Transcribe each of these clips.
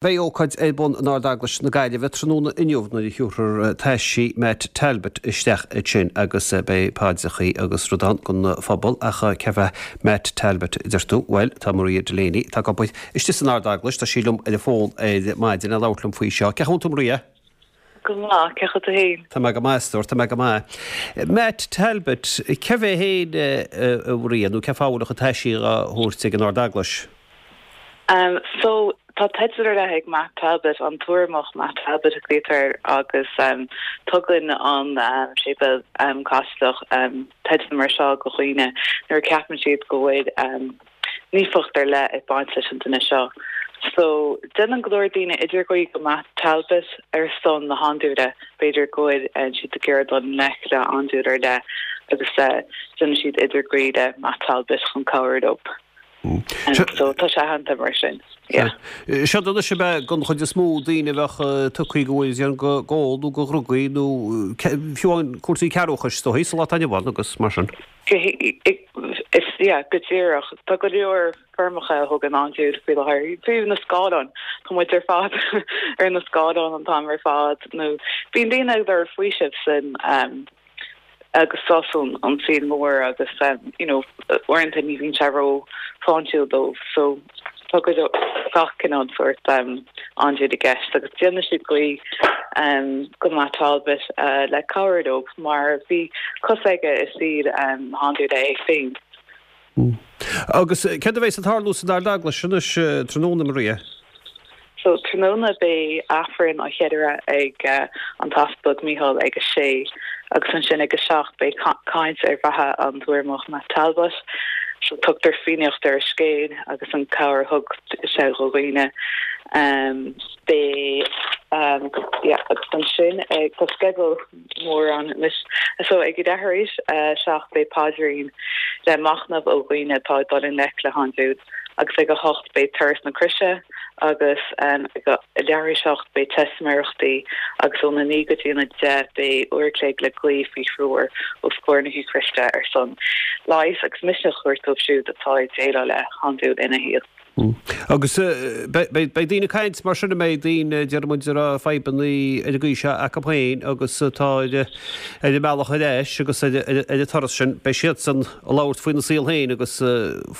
Beidh ócáid ar bun in Ard-Eaglais na Gaillimhe tráthnóna inniu nuair a thiúrfar taisí Matt Talbot isteach ansin agus beidh paidreachaí agus rud ann don phobal. Ach cé hé Matt Talbot, a deir tú? Bhuel, tá Maria Delaney, atá ag obair istigh san Ard-Eaglais, tá sí liom ar an bhfón ar maidin le labhairt liom faoi seo. Cén chaoi a bhfuil tú, Maria? Go maith, cén chaoi tú féin? Tá mé go maith, a stór, tá mé go maith. Matt Talbot, cé hé féin, a Mharia, nó cén fáth a bhfuil a chuid taisí á thabhairt ag an Ard-Eaglais? So, tá teideal ar leith ag Matt Talbot, an tUrramach Matt Talbot a ghlaoitear air, agus tugann an séipéal Caitliceach teideal mar seo go dhaoine nuair a ceapann siad go bhfuil naofacht ar leith ag baint leis an duine seo. So, déanann go leor daoine idirghuí go Matt Talbot ar son na handúile, b'fhéidir go bhfuil siad ag iarraidh dul i ngleic le andúil ar leith agus déanann siad idirghuí le Matt Talbot chun cabhrú leo. So, tá sé aitheanta mar sin, yeah. Seod anois ab ea don chuid is mó daoine a bheadh tugtha go bhfuil go ól nó go dhrugaí nó fiú amháin cúrsaí cearrbhachais is dóichí sa lá atá inniu ann agus mar sin. Is, yeah, go díreach. Tá go leor foirmeacha a thugann andúil faoi láthair. Fiú na scáileáin, tá muid ar fad ar na scáileáin an t-am ar fad nó bíonn daoine ag lorg faoisimh san agus sos ón saol mór agus you know uaireanta ní bhíonn sé ró shláintiúil dóibh so tá go leor gach cineál sórt andúil i gceist agus déanann siad guí go Matt Talbot le cabhrú leo mar bhí cos aige i saol na handúile é féin. Agus céard a bheas ag tarlú san Ard-Eaglais anois tráthnóna, Maria? So, tráthnóna beidh Aifreann á cheiliúradh ag an tEaspag Mícheál ag a sé agus ansin ag a 7 beidh caint ar bheatha an tUrramach Matt Talbot. So, tugtar fianaíocht ar a scéal agus an cabhair a thug sé do dhaoine. Beidh, yeah, agus ansin ag, tá sceideal mór ann anois. So ag leathuair tar éis a 7 beidh paidrín le machnamh ó dhaoine atá ag dul i ngleic le handúil agus ag a 8 beidh Turas na Croise agus ag leathuair tar éis a 8 beidh teistiméireachtaí agus óna 9 go dtí an 10 beidh uair a chloig le guí faoi threoir os comhair na hEocairiste ar son leighis agus misneach a thabhairt dóibh siúd atá ag déileáil le handúil ina shaol. Agus beidh daoine ag caint mar sin, an mbeidh daoine, déarfaidh muid, a raibh fadhbanna ar an gcaoi seo acu féin agus atá ar an mbealach ar ais agus ar an turas sin, beidh siadsan ag labhairt faoina saol féin agus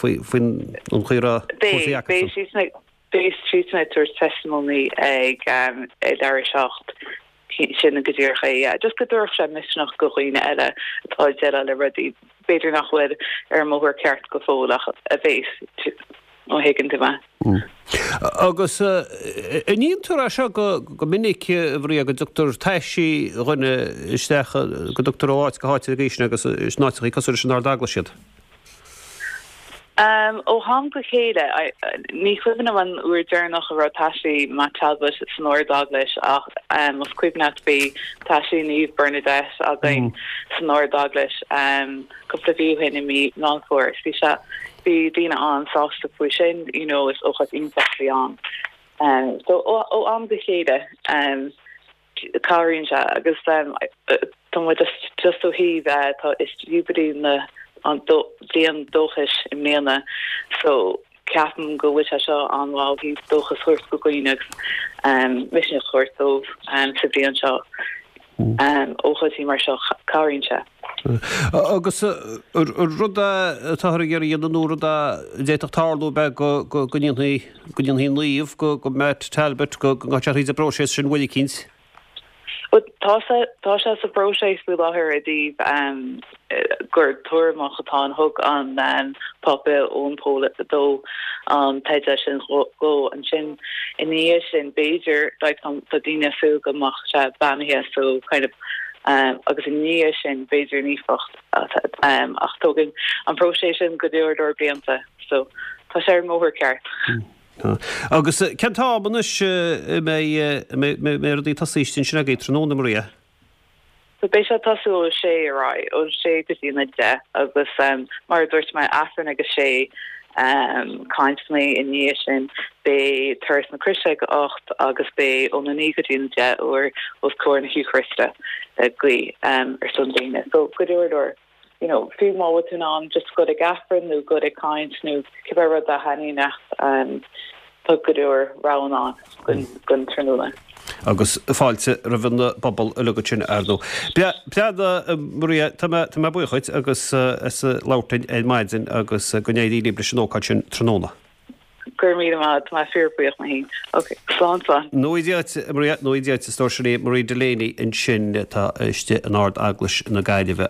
faoin chaoi a raibh cúrsaí acusan. Beidh siadsan ag tabhairt testimony ag leathuair tar éis a 7. Sin go díreach é, yeah. Just go dtabharfadh sé misneach go dhaoine eile atá ag déileáil le rudaí, b'fhéidir nach bhfuil ar an mbóthar ceart go fóill ach a bheas, má thuigeann tú mé. Agus an ndéantar é seo go minic, a Mharia, go dtugtar taisí dhuine isteach, go dtugtar ó áit go háit ar an gcaoi sin agus in áiteachaí cosúil leis an Ard-Eaglais iad? Ó am go chéile, ní cuimhin liom an uair deireanach a raibh taisí Matt Talbot san Ard-Eaglais ach más cuimhin leat bhí taisí Naomh Bernadette againn san Ard-Eaglais cúpla mhí ó shin i mí Meán Fómhair. Bhí sé, bhí daoine an-sásta faoi sin, you know, is ócáid iontach a bhí ann. So ó am go chéile. Cabhraíonn sé agus tá muid just ó thaobh tá is Jubilee na an bliain dóchais i mbliana so ceapaim go bhfuil sé seo an-mhaith ó thaobh dóchas a thabhairt go dhaoine agus misneach a thabhairt dóibh sa bhliain seo. Ócáidí mar seo cabhraíonn sé. Agus rud atáthar ag iarraidh a dhéanamh nó rud a d'fhéadfadh tarlú ab ea go ndéanfaí go ndéanfaí naomh de Matt Talbot, go ngabhfaidh sé thríd an bpróiseas sin uair eicínt. Bhuel, tá sé, tá sé sa bpróiseas faoi láthair i dtaobh gur tUrramach atá ann. Thug an Pápa Eoin Pól II an teideal sin dhó. Ansin, ina dhiaidh sin, b'fhéidir, like, tá daoine ag súil go mbeadh sé beannaithe so kind of agus ina dhiaidh sin, b'fhéidir naofacht ach tógann an próiseas sin go leor leor blianta. So, tá sé ar an mbóthar ceart. Tá. Agus cén t-am anois a mbeidh rudaí ag tosú istigh ansin agaibh tráthnóna, Maria? So beidh sé ag tosú ó 6 ar aghaidh, ó 6 go dtí an 10 agus mar a dúirt mé, Aifreann ag a 6, cainteanna i ndiaidh sin, beidh Turas na Croise ag a 8 agus beidh óna 9 go dtí an 10 uair os comhair na hEocairiste le guí ar son daoine. So go leor leor. you know, fiú má bhfuil tú in ann just goil ag Aifreann nó goil ag caint nó cibé rud a thaitníonn leat, um, Tá go leor roghanna ann don tráthnóna. Agus fáilte roimh an bpobal uilig ansin, ar ndóigh. Breá, Maria, tá mé, tá mé buíoch dhuit agus as labhairt linn ar maidin agus go n-éirí libh leis an ócáid sin tráthnóna. Go raibh míle maith, tá mé fíorbhuíoch mé féin. Ok, slán slán. Go ngnóthaí Dia duit, Maria, go ngnóthaí Dia duit, a stór, sin í Maria Delaney ansin atá istigh in Ard-Eaglais na Gaillimhe.